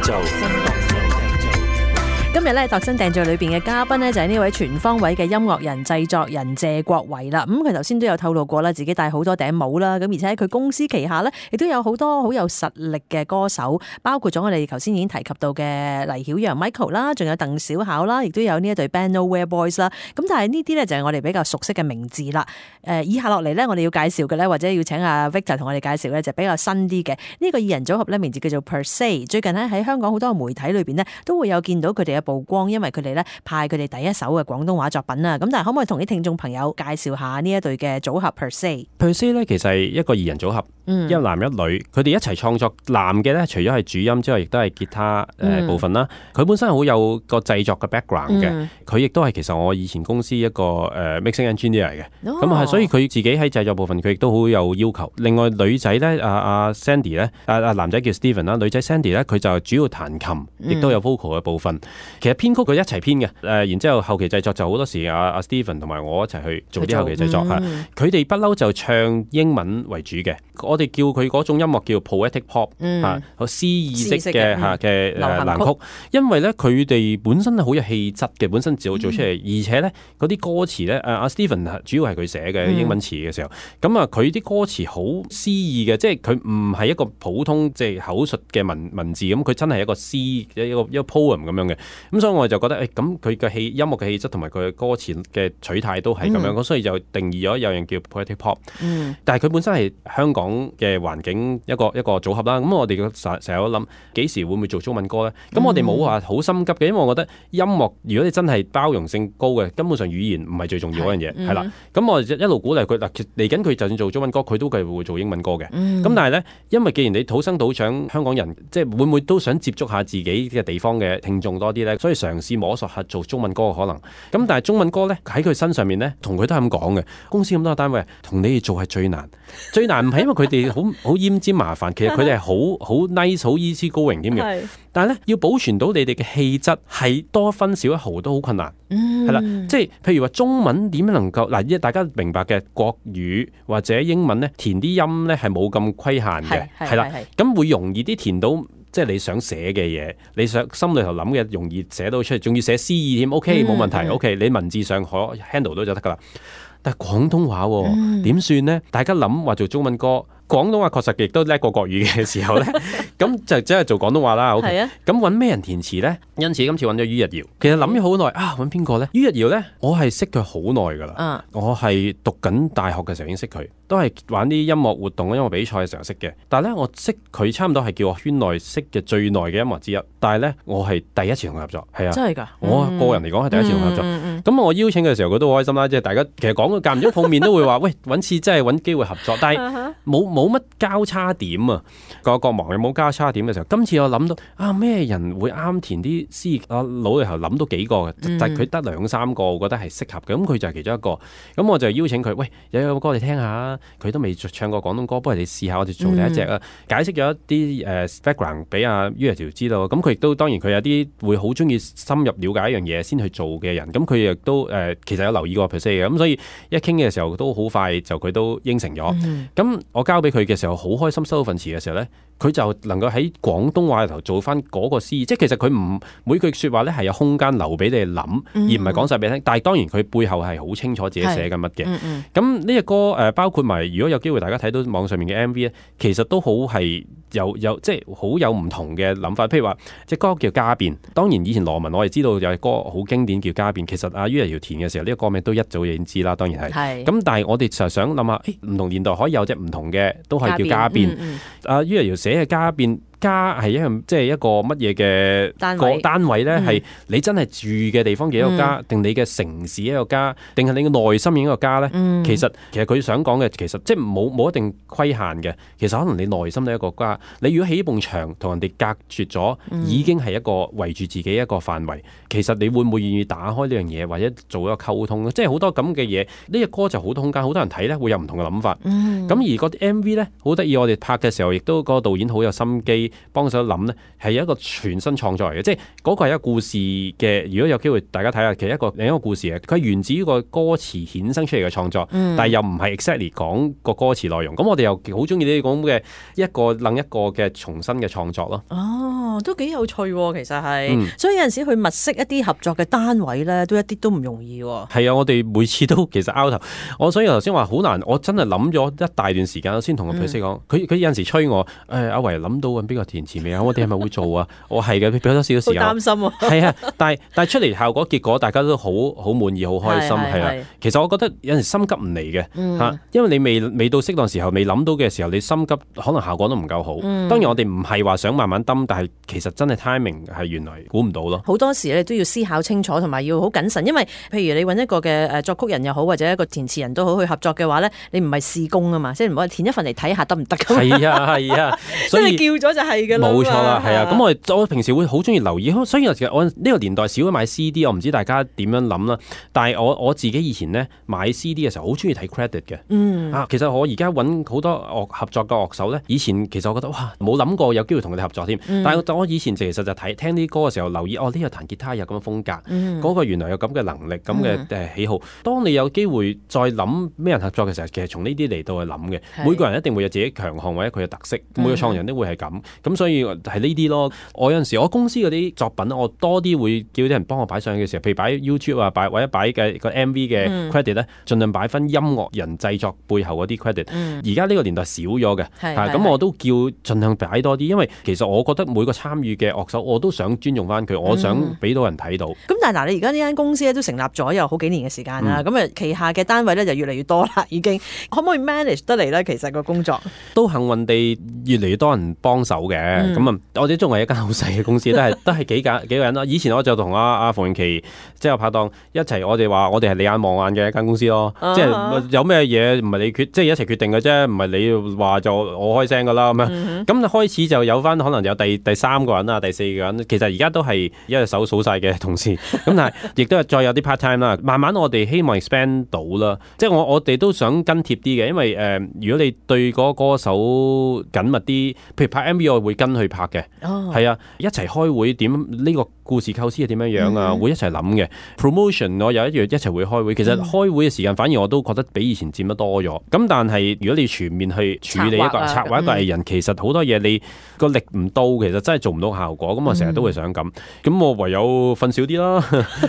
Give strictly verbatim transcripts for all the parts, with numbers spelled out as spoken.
造。今日咧度身訂造裏邊嘅嘉賓呢，就係呢位全方位嘅音樂人、製作人謝國維啦。咁佢頭先都有透露過啦，自己戴好多頂帽啦。咁而且喺佢公司旗下呢，亦都有好多好有實力嘅歌手，包括咗我哋頭先已經提及到嘅黎曉陽 Michael 啦，仲有鄧小巧啦，亦都有呢一隊 band Nowhere Boys 啦。咁但係呢啲呢，就係我哋比較熟悉嘅名字啦。誒，以下落嚟呢，我哋要介紹嘅呢，或者要請阿 Victor 同我哋介紹呢，就比較新啲嘅呢個二人組合呢，名字叫做 Per Se。最近呢，喺香港好多媒體裏邊呢，都會有見到佢哋嘅曝光，因為佢哋咧派佢哋第一首嘅廣東話作品啊。咁但係可唔可以同啲聽眾朋友介紹下呢一隊嘅組合 Per Se？Per Se 咧其實係一個二人組合，嗯、一男一女，佢哋一齊創作。男嘅咧除咗係主音之外，亦都係吉他誒、呃嗯、部分啦。佢本身好有個製作嘅 background 嘅，佢亦都係其實我以前公司一個誒、呃、mixing engineer 嚟嘅。咁係、哦，所以佢自己喺製作部分佢亦都好有要求。另外女仔咧，阿、啊、阿、啊、Sandy 咧，阿、啊、阿男仔叫 Steven 啦，女仔 Sandy 咧，佢就主要彈琴，亦都有 vocal 嘅部分。嗯、其實編曲佢一齊編嘅，誒、呃，然之後後期製作就好多時阿阿、啊、Steven 同埋我一齊去做啲後期製作嚇。佢哋不嬲就唱英文為主嘅，我哋叫佢嗰種音樂叫 poetic pop 嚇、嗯，好詩意式嘅嚇嘅誒藍曲。因為咧佢哋本身係好有氣質嘅，本身自我做出嚟，嗯、而且咧嗰啲歌詞咧，誒、啊、阿 Steven 主要係佢寫嘅英文詞嘅時候，咁啊佢啲歌詞好詩意嘅，即係佢唔係一個普通即係口述嘅文文字咁，佢真係一個詩一個一個，一個 poem 咁樣嘅。咁所以我就覺得誒，咁佢嘅氣音樂嘅氣質同埋佢嘅歌詞嘅取態都係咁樣，咁、嗯、所以就定義咗有樣叫 poetic pop。嗯、但係佢本身係香港嘅環境一個一個組合啦。咁我哋成成日都諗幾時會唔會做中文歌咧？咁我哋冇話好心急嘅，因為我覺得音樂如果你真係包容性高嘅，根本上語言唔係最重要嗰樣嘢，係啦。咁、嗯、我一路鼓勵佢嗱，嚟緊佢就算做中文歌，佢都係會做英文歌嘅。咁、嗯、但係咧，因為既然你土生土長香港人，即係會唔會都想接觸下自己嘅地方嘅聽眾多啲咧？所以嘗試摸索下做中文歌嘅可能。咁但係中文歌咧喺佢身上面咧，同佢都係咁講嘅。公司咁多個單位，同你哋做係最難，最難唔係因為佢哋好好奄尖麻煩，其實佢哋係好好 nice 好 easy going 添嘅。但係咧要保存到你哋嘅氣質，係多分少一毫都好困難。係啦、嗯，即係譬如話中文點能夠嗱，大家明白嘅國語或者英文咧，填啲音咧係冇咁規限嘅，係啦，咁會容易啲填到。即係你想寫嘅嘢，你想心裏頭諗嘅容易寫到出嚟，仲要寫詩意添 ，OK 冇問題、嗯、，OK 你文字上可 handle 到就得噶啦。但係廣東話點、嗯、算呢？大家諗話做中文歌，廣東話確實亦都叻過國語嘅時候咧，咁就真係做廣東話啦。OK，咁揾咩人填詞咧？因此今次揾咗于日堯。其實諗咗好耐啊，揾邊個咧？于日堯咧，我係識佢好耐噶啦。嗯、我係讀緊大學嘅時候已經識佢，都係玩啲音樂活動、音樂比賽嘅時候識嘅。但係咧，我識佢差唔多係叫我圈內識嘅最耐嘅音樂之一。但係咧，我係第一次同佢合作，係啊，真係㗎。我個人嚟講係第一次同佢合作。咁、嗯嗯嗯、我邀請嘅時候，佢都好開心啦。即係大家其實講嘅間唔中碰面都會話，喂，揾次真係揾機會合作，但係冇冇乜交叉點啊。個個忙又冇交叉點嘅時候，今次我諗到啊，咩人會啱填啲詩？我腦裏頭諗到幾個嘅，嗯、但係佢得兩三個，我覺得係適合嘅。咁佢就係其中一個。咁我就邀請佢，喂，有有歌你聽下。佢都未唱過廣東歌，不如你試下我哋做第一隻啊！嗯、解釋咗一啲誒、uh, background 俾阿于日堯知道。咁佢亦都當然佢有啲會好中意深入了解一樣嘢先去做嘅人。咁佢亦都誒、呃、其實有留意過 Per Se 嘅。咁所以一傾嘅時候都好快就佢都應承咗。咁、嗯、我交俾佢嘅時候好開心，收到份詞嘅時候咧，佢就能夠喺廣東話裏頭做翻嗰個詩意。即係其實佢唔每句説話咧係有空間留俾你諗，嗯、而唔係講晒俾你聽。但係當然佢背後係好清楚自己寫緊乜嘅。咁呢隻歌誒、呃、包括埋如果有機會大家睇到網上面嘅 M V 咧，其實都好係有有即係好有唔同嘅諗法。譬如話隻歌叫家變，當然以前羅文我哋知道有隻歌好經典叫家變。其實阿于日堯填嘅時候，呢、這個歌名都一早已經知啦，當然係。咁是但係我哋就想諗下，誒、欸、唔同年代可以有隻唔同嘅，都係叫家變。阿于日堯寫嘅家變。家係一樣即係一個乜嘢嘅單位單位咧？係、嗯、你真係住嘅地方嘅一個家，定、嗯、你嘅城市一個家，定係你嘅內心嘅一個家咧、嗯？其實其實佢想講嘅其實即係冇冇一定規限嘅。其實可能你內心都係一個家。你如果起一埲牆同人哋隔絕咗，嗯、已經係一個圍住自己一個範圍。其實你會唔會願意打開呢樣嘢，或者做一個溝通咧？即係好多咁嘅嘢。呢、這、隻、個、歌就好多空間，好多人睇咧會有唔同嘅諗法。咁、嗯、而個 M V 咧好得意，我哋拍嘅時候亦都個導演好有心機。師幫手諗咧，係一個全新創作嚟嘅，即係嗰個係一個故事嘅。如果有機會大家睇下，其實一個另一個故事嘅，佢係源自於個歌詞衍生出嚟嘅創作，嗯、但係又唔係 exactly 講個歌詞內容。咁我哋又好中意呢啲咁嘅一個另一個嘅重新嘅創作咯。哦，都幾有趣喎，其實係，嗯、所以有陣時去物色一啲合作嘅單位咧，都一啲都唔容易喎。係啊，我哋每次都其實拗頭，我所以頭先話好難，我真係諗咗一大段時間先同個 producer 講，佢佢、嗯、有陣時催我，誒、哎、阿維諗到揾邊個填詞未啊？我哋係咪會做啊？我係嘅，俾多少少時間。好擔心喎。係啊，但係但係出嚟效果結果大家都好好滿意，好開心係啊。其實我覺得有陣時心急唔嚟嘅嚇，因為你未未到適當時候，未諗到嘅時候，你心急可能效果都唔夠好。嗯、當然我哋唔係話想慢慢揼，但係其實真係 timing 係原來估唔到咯。好多時你都要思考清楚，同埋要好謹慎，因為譬如你揾一個嘅誒作曲人又好，或者一個填詞人都好去合作嘅話咧，你唔係試工啊嘛，即係唔好填一份嚟睇下得唔得㗎嘛。係啊係啊，所以叫咗就係㗎啦。冇錯啦，係啊。咁我我平時會好中意留意，所以其實我呢個年代少咗買 C D， 我唔知大家點樣諗啦。但係我我自己以前咧買 C D 嘅時候，好中意睇 credit 嘅。嗯啊，其實我而家揾好多樂合作嘅樂手咧，以前其實我覺得哇冇諗過有機會同佢哋合作添。嗯、但係我以前其實就睇聽啲歌嘅時候，留意哦呢個彈吉他有咁嘅風格，嗰、嗯、個原來有咁嘅能力、咁嘅誒喜好。嗯、當你有機會再諗咩人合作嘅時候，其實從呢啲嚟到去諗嘅。是每個人一定會有自己強項或者佢嘅特色，嗯、每個創人都會係咁。咁所以係呢啲咯。我有陣時我公司嗰啲作品，我多啲會叫啲人幫我擺上去嘅時候，譬如擺 YouTube 啊，擺或者擺嘅個 M V 嘅 credit 咧、嗯，盡量擺翻音樂人製作背後嗰啲 credit。而家呢個年代少咗嘅，咁、啊、我都叫盡量擺多啲，因為其實我覺得每個參與嘅樂手，我都想尊重翻佢，我想俾到人睇到。咁、嗯、但係嗱，你而家呢間公司咧都成立咗有好幾年嘅時間啦，咁啊、嗯、旗下嘅單位咧就越嚟越多啦，已經可唔可以 manage 得嚟咧？其實個工作都幸運地越嚟越多人幫手嘅，咁啊、嗯，我哋仲係一間好細嘅公司，都係都係幾個幾個人啦。以前我就同阿阿馮穎琪即係拍檔一齊，我哋話我哋係你眼望眼嘅一間公司咯，啊、即係有咩嘢唔係你決，即係一齊決定嘅啫，唔係你話就我開聲噶啦咁樣。咁、嗯、哼開始就有翻可能有第第三個人啊，第四個人，其實而家都係一隻手數晒嘅同事。咁但係亦都係再有啲 part time 啦。慢慢我哋希望 expand 到啦，即係我我哋都想跟貼啲嘅，因為誒、呃，如果你對嗰個歌手緊密啲，譬如拍 M V 我會跟去拍嘅，係、哦、啊，一齊開會點呢個故事構思係點樣樣啊，嗯、會一齊諗嘅 promotion 我有一樣一齊會開會。其實開會嘅時間反而我都覺得比以前佔得多咗。咁但係如果你全面去處理一個策劃一個藝人，嗯、其實好多嘢你個力唔到，其實真係做唔到效果。咁我成日都會想咁，咁、嗯、我唯有瞓少啲啦。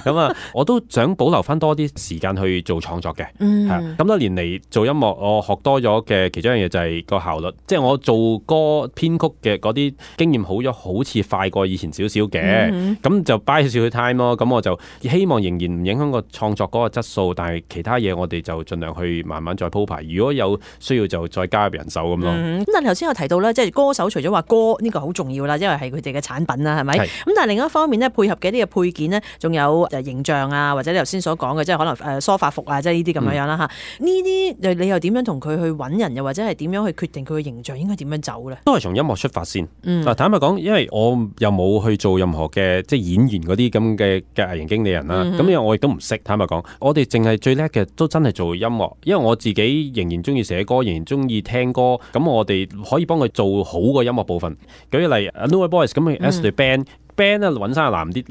咁啊，我都想保留翻多啲時間去做創作嘅。咁、嗯、多年嚟做音樂，我學多咗嘅其中一樣嘢就係個效率，即係我做歌編曲嘅嗰啲經驗好咗，好似快過以前少少嘅。咁、嗯、就 buy 少少 time 咯。咁我就希望仍然唔影響個創作嗰個質素，但係其他嘢我哋就盡量去慢慢再鋪排。如果有需要就再加入人手咁咯。咁、嗯、但係頭先有提到咧，即係歌手除咗話歌呢個好重要啦，因為係佢哋嘅產品啦，係咪？咁是但係另一方面咧，配合嘅啲嘅配件咧，仲有誒形象啊，或者你頭先所講嘅，即係可能誒梳化服啊，即係呢啲咁樣樣啦嚇。呢啲你又點樣同佢去揾人，又或者係點樣去決定佢嘅形象應該點樣走咧？都係從音樂出發先。嗱、嗯，坦白講，因為我又冇去做任何嘅即係演員嗰啲咁嘅嘅藝人經理人啦，咁、嗯、哼因為我亦都唔識。坦白講，我哋淨係最叻嘅都真係做音樂，因為我自己仍然中意寫歌，仍然中意聽歌，咁我哋可以幫佢做好個音樂部分。舉例 Nowhere Boys 咁嘅 as the band。band 咧揾生難啲，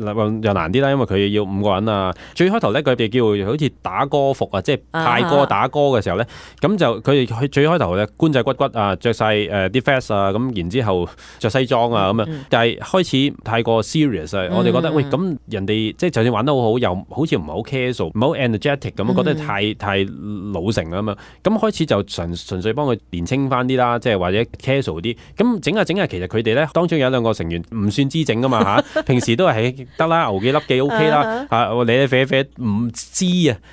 又難啲啦，因為佢要五個人啊。最開頭咧，佢哋叫好似打歌服啊，即係泰歌打歌嘅時候咧，咁、啊、就佢哋佢最開頭咧，官仔骨骨啊，着晒誒啲 vest 啊，咁然之後着西裝啊咁啊，嗯、但係開始太過 serious 啊，嗯、我哋覺得喂，咁人哋即係就算玩得好好，又好似唔係好 casual，唔係好 energetic 咁，覺得太太老成啊嘛。咁開始就純純粹幫佢年青翻啲啦，即係或者 casual 啲。咁整下整下，其實佢哋咧當中有兩個成員唔算知整噶嘛嚇。平時都係得啦，牛幾粒幾 OK 啦，嚇你你啡啡唔知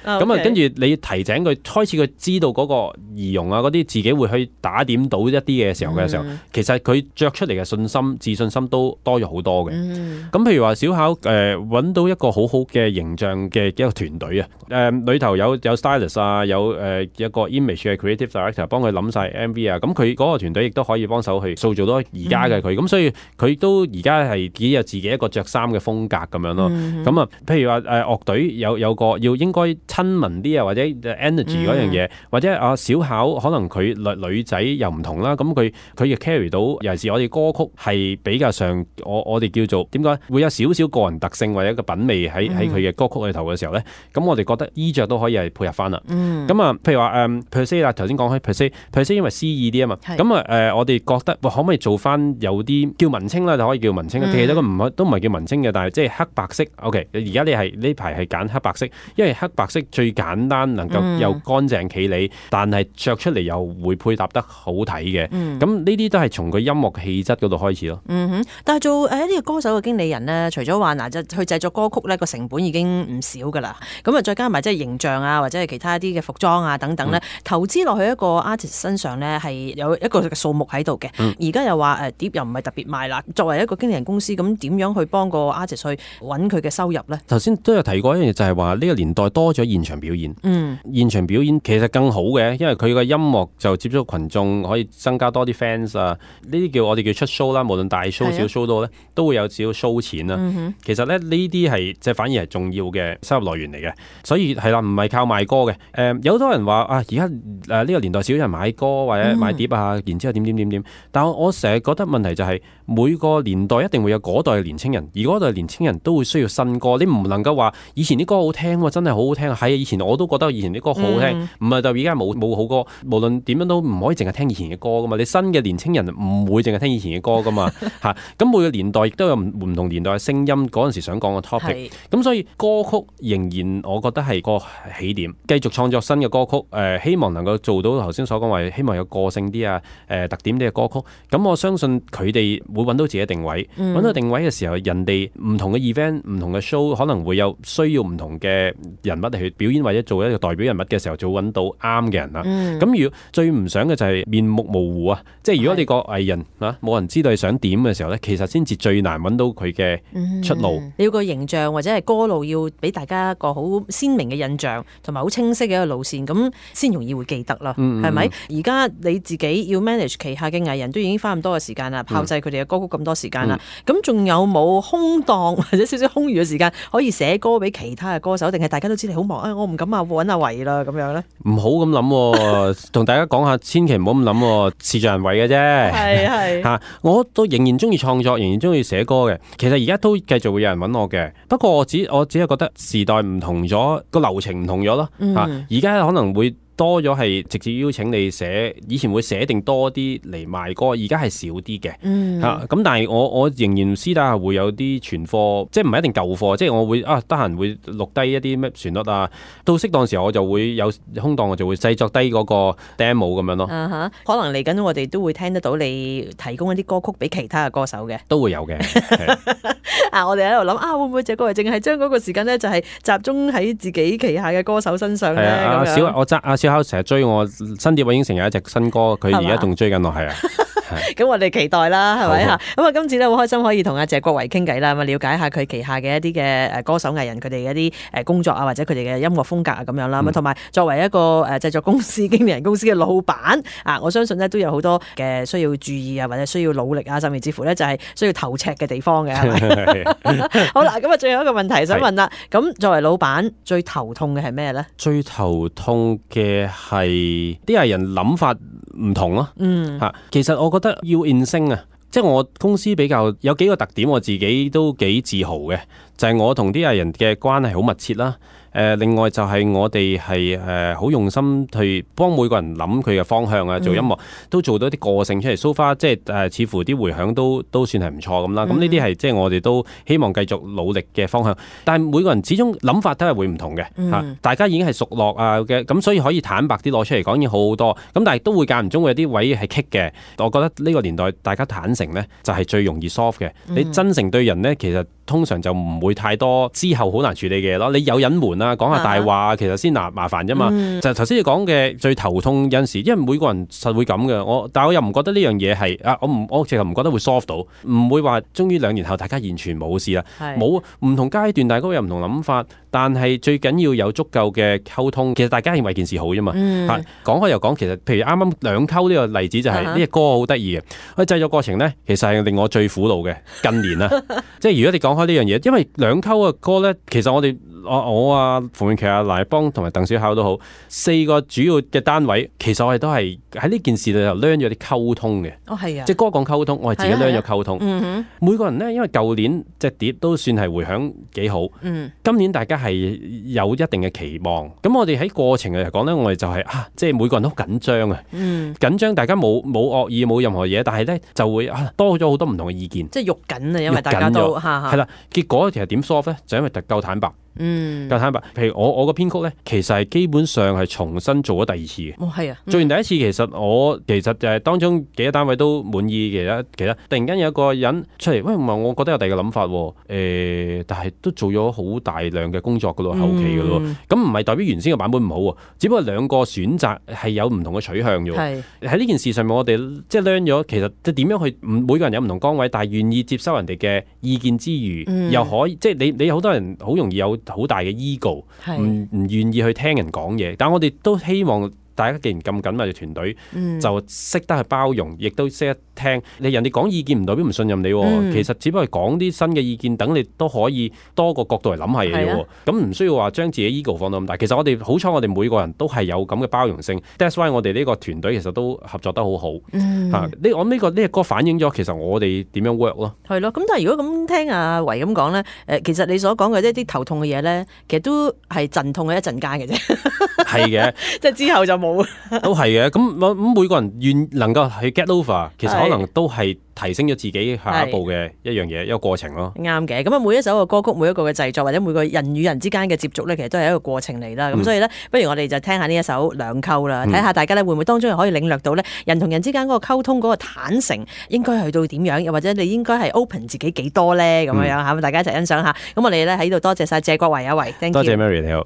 啊，咁啊跟住你提醒佢，開始佢知道嗰個儀容啊嗰啲，自己會去打點到一啲嘅時候嘅時候，嗯、其實佢着出嚟嘅信心、自信心都多咗好多嘅。咁、嗯、譬如話小巧誒揾、呃、到一個好好嘅形象嘅一個團隊啊，誒、呃、裏頭有有 stylist 啊，有誒、呃、一個 image 嘅 creative director 幫佢諗晒 M V 啊，咁佢嗰個團隊亦都可以幫手去塑造到而家嘅佢，咁、嗯、所以佢都而家係幾有自自己一個着衫嘅風格咁樣咯。咁啊、嗯，譬如話誒樂隊有有個要應該親民啲啊，或者 energy 嗰樣嘢，嗯、或者啊小巧可能佢女女仔又唔同啦，咁佢佢亦 carry 到，尤其是我哋歌曲係比較上我我哋叫做點講，會有少少個人特性或者一個品味喺喺佢嘅歌曲裏頭嘅時候咧，咁我哋覺得衣着都可以係配合翻啦。咁啊、嗯，譬如話誒 per se 啦，頭先講開 per se per se 因為詩意啲啊嘛，咁啊誒我哋覺得可唔可以做翻有啲叫文青啦，就可以叫文青，嗯、其實都唔都唔係叫文青嘅，但係即係黑白色。OK， 而家你係呢排係揀黑白色，因為黑白色最簡單，能夠又乾淨企理，嗯、但係着出嚟又會配搭得好睇嘅。咁呢啲都係從佢音樂氣質嗰度開始咯。嗯哼，但係做誒呢個歌手嘅經理人咧，除咗話嗱，就去製作歌曲咧，個成本已經唔少噶啦。咁啊，再加埋即係形象啊，或者係其他一啲嘅服裝啊等等咧，嗯、投資落去一個 artist 身上咧，係有一個數目喺度嘅。而家、嗯、又話誒碟又唔係特別賣啦。作為一個經理人公司，咁點樣去幫個 artist 去揾佢嘅收入咧？頭先都有提過一樣嘢，就係話呢個年代多咗現場表演。嗯，現場表演其實更好嘅，因為佢個音樂就接觸群眾，可以增加多啲 fans 啊。呢啲叫我哋叫出 show 啦，無論大 show 小 show 都咧，都會有少少 show 錢啦。嗯、哼其實咧呢啲係即係反而係重要嘅收入來源嚟嘅。所以係啦，唔係靠賣歌嘅。誒、呃，有好多人話啊，而家誒呢個年代少人買歌或者買碟啊，然之後點點點點。但我我成日覺得問題就係、是、每個年代一定會有嗰代嘅年青人，而嗰代年青人都會需要新歌。你唔能夠話以前啲歌好聽喎，真係好好聽。係以前我都覺得以前啲歌好好聽，唔係就而家冇冇好歌。無論點樣都唔可以淨係聽以前嘅歌噶嘛。你新嘅年青人唔會淨係聽以前嘅歌噶嘛嚇。咁每個年代亦都有唔同年代嘅聲音，嗰陣時想講嘅 topic。咁是所以歌曲仍然我覺得係個起點，繼續創作新嘅歌曲。誒、呃，希望能夠做到頭先所講話，希望有個性啲啊，誒、呃、特點啲嘅歌曲。咁我相信佢哋會揾到自己定位，揾、嗯、到定位嘅時候，人哋唔同嘅 event、唔同嘅 show 可能會有需要唔同嘅人物嚟去表演或者做一個代表人物嘅時候，就揾到啱嘅人啦。咁、嗯、如果最唔想嘅就係面目模糊啊，即係如果你個藝人啊冇人知道你想點嘅時候咧，其實先至最難揾到佢嘅出路。嗯、你要個形象或者係歌路要俾大家一個好鮮明嘅印象，同埋好清晰嘅一個路線，咁先容易會記得啦。係咪、嗯？而家你自己要 manage 旗下嘅藝人都已經花咁多嘅時間啦，炮製佢哋嘅歌曲咁多時間啦，咁仲、嗯、有冇空檔或者少少空餘嘅時間可以寫歌俾其他嘅歌手？定係大家都知你好忙啊、哎？我唔敢啊，揾阿維啦咁樣咧。唔好咁諗，同大家講下，千祈唔好咁諗，事在人為嘅啫。係係嚇，我都仍然中意創作，仍然中意寫歌嘅。其實而家都繼續會有人揾我嘅，不過我只我只係覺得時代唔同咗，個流程唔同咗咯。嚇、嗯，而家可能會多咗係直接邀請你寫，以前會寫定多啲嚟賣歌，而家係少啲嘅。嗯，嚇咁、啊，但係我我仍然私底下會有啲存貨，即係唔係一定舊貨，即係我會啊得閒會錄低一啲咩旋律啊，到適當時候我就會有空檔，我就會製作低嗰個 demo 咁樣咯。啊哈，可能嚟緊我哋都會聽得到你提供一啲歌曲俾其他嘅歌手嘅，都會有嘅。啊，我哋喺度諗啊，會唔會隻歌係淨係將嗰個時間咧，就係集中喺自己旗下嘅歌手身上咧？啊，小我揸阿小巧成日追我新碟，我已經成日一隻新歌，佢而家仲追緊我，係啊。咁我哋期待啦，係咪吓？咁啊，今次咧好開心可以同阿謝國維傾偈啦，咁啊了解下佢旗下嘅一啲嘅誒歌手藝人佢哋嘅一啲誒工作啊，或者佢哋嘅音樂風格啊咁樣啦。咁同埋作為一個誒製作公司經理人公司嘅老闆啊，我相信咧都有好多嘅需要注意啊，或者需要努力啊，甚至乎咧就係需要頭赤嘅地方嘅，係咪？好啦，咁啊，最後一個問題想問啦，咁作為老闆最頭痛嘅係咩咧？最頭痛嘅係啲藝人諗法唔同咯。嗯，吓，其實我覺得要 in sync 啊，即係我公司比較有幾個特點，我自己都幾自豪嘅，就係我同啲藝人嘅關係好密切啦。誒、呃，另外就係我哋係誒好用心去幫每個人諗佢嘅方向啊，做音樂、嗯、都做到一啲個性出嚟。So far 即係誒，似乎啲迴響都都算係唔錯咁啦。咁呢啲係即係我哋都希望繼續努力嘅方向。但係每個人始終諗法都係會唔同嘅嚇，嗯、大家已經係熟絡啊嘅，咁所以可以坦白啲攞出嚟講已經好好多。咁但係都會間唔中會有啲位係棘嘅。我覺得呢個年代大家坦誠咧就係最容易 soft 嘅。你真誠對人咧，其實通常就唔會太多之後好難處理嘅嘢咯。你有隱瞞啊，講下大話，其實先難麻煩啫嘛。嗯、就頭先你講嘅最頭痛有陣時，因為每個人實會咁嘅。我但係我又唔覺得呢樣嘢係啊，我唔我其實唔覺得會 solve 到，唔會話終於兩年後大家完全冇事啦。冇唔同階段，大家都有唔同諗法，但係最緊要有足夠嘅溝通。其實大家認為件事好啫嘛。嗯、講開又講，其實譬如啱啱兩溝呢個例子就係、是、呢、uh huh. 隻歌好得意嘅。佢製作過程咧，其實係令我最苦惱嘅近年啦。即係如果你講開呢樣嘢，因為兩溝嘅歌咧，其實我哋我我啊馮穎琪啊賴邦同埋鄧小巧都好，四個主要嘅單位，其實我哋都係喺呢件事裏頭 learn 咗啲溝通嘅。哦，係啊，即係歌講溝通，我係自己 learn 咗溝通。嗯、哼每個人咧，因為舊年隻碟都算係回響幾好。嗯，今年大家係有一定嘅期望。咁我哋喺過程嚟講咧，我哋就係、是、啊，即係每個人都好緊張啊。嗯，緊張，大家冇冇惡意，冇任何嘢，但係咧就會啊多咗好多唔同嘅意見。即係喐緊啊，因為大家都係啦。結果其實點 solve 咧，就因為夠坦白。嗯，夠坦白。譬如我我個編曲咧，其實係基本上係重新做咗第二次嘅。哦，係啊。做完第一次，其實我其實就係當中幾個單位都滿意嘅。其實突然間有一個人出嚟，喂，唔係，我覺得有第二個諗法。誒、欸，但係都做咗好大量嘅工作噶咯，後期噶咯。咁唔係代表原先嘅版本唔好，只不過兩個選擇係有唔同嘅取向啫。係喺呢件事上面，我哋即係 learn 咗，其實即係點樣去每個人有唔同崗位，但係願意接收人哋嘅意見之餘，嗯、又可以即係你你好多人好容易有好大嘅 ego，唔唔願意去聽人講嘢，但我哋都希望大家既然咁緊密嘅團隊，嗯、就識得去包容，亦都識得聽。你人哋講意見唔代表唔信任你，嗯、其實只不過講啲新嘅意見，等你都可以多個角度嚟諗下嘢嘅。咁唔、啊、需要話將自己 ego 放到咁大。其實我哋好彩，我哋每個人都係有咁嘅包容性。That's why 我哋呢個團隊其實都合作得好好。嗯，嚇呢我呢個呢個歌反映咗其實我哋點樣 work 咯。係咯，咁但係如果咁聽阿維咁講咧，誒其實你所講嘅一啲頭痛嘅嘢咧，其實都係陣痛嘅一陣間嘅啫。係嘅，即係之後就冇。都係嘅，咁咁每個人願能夠去 get over，其實可能都係提升咗自己下一步嘅一樣嘢，一個過程咯。啱嘅，咁啊每一首嘅歌曲，每一個嘅製作或者每個人與人之間嘅接觸咧，其實都係一個過程嚟啦。咁、嗯、所以咧，不如我哋就聽下呢一首兩溝啦，睇下大家咧會唔會當中可以領略到咧人同人之間嗰個溝通嗰個坦誠應該去到點樣，又或者你應該係 open 自己幾多咧咁樣樣嚇，大家一齊欣賞下。咁我哋咧喺度多謝晒謝國維啊維，多謝 Mary 你好。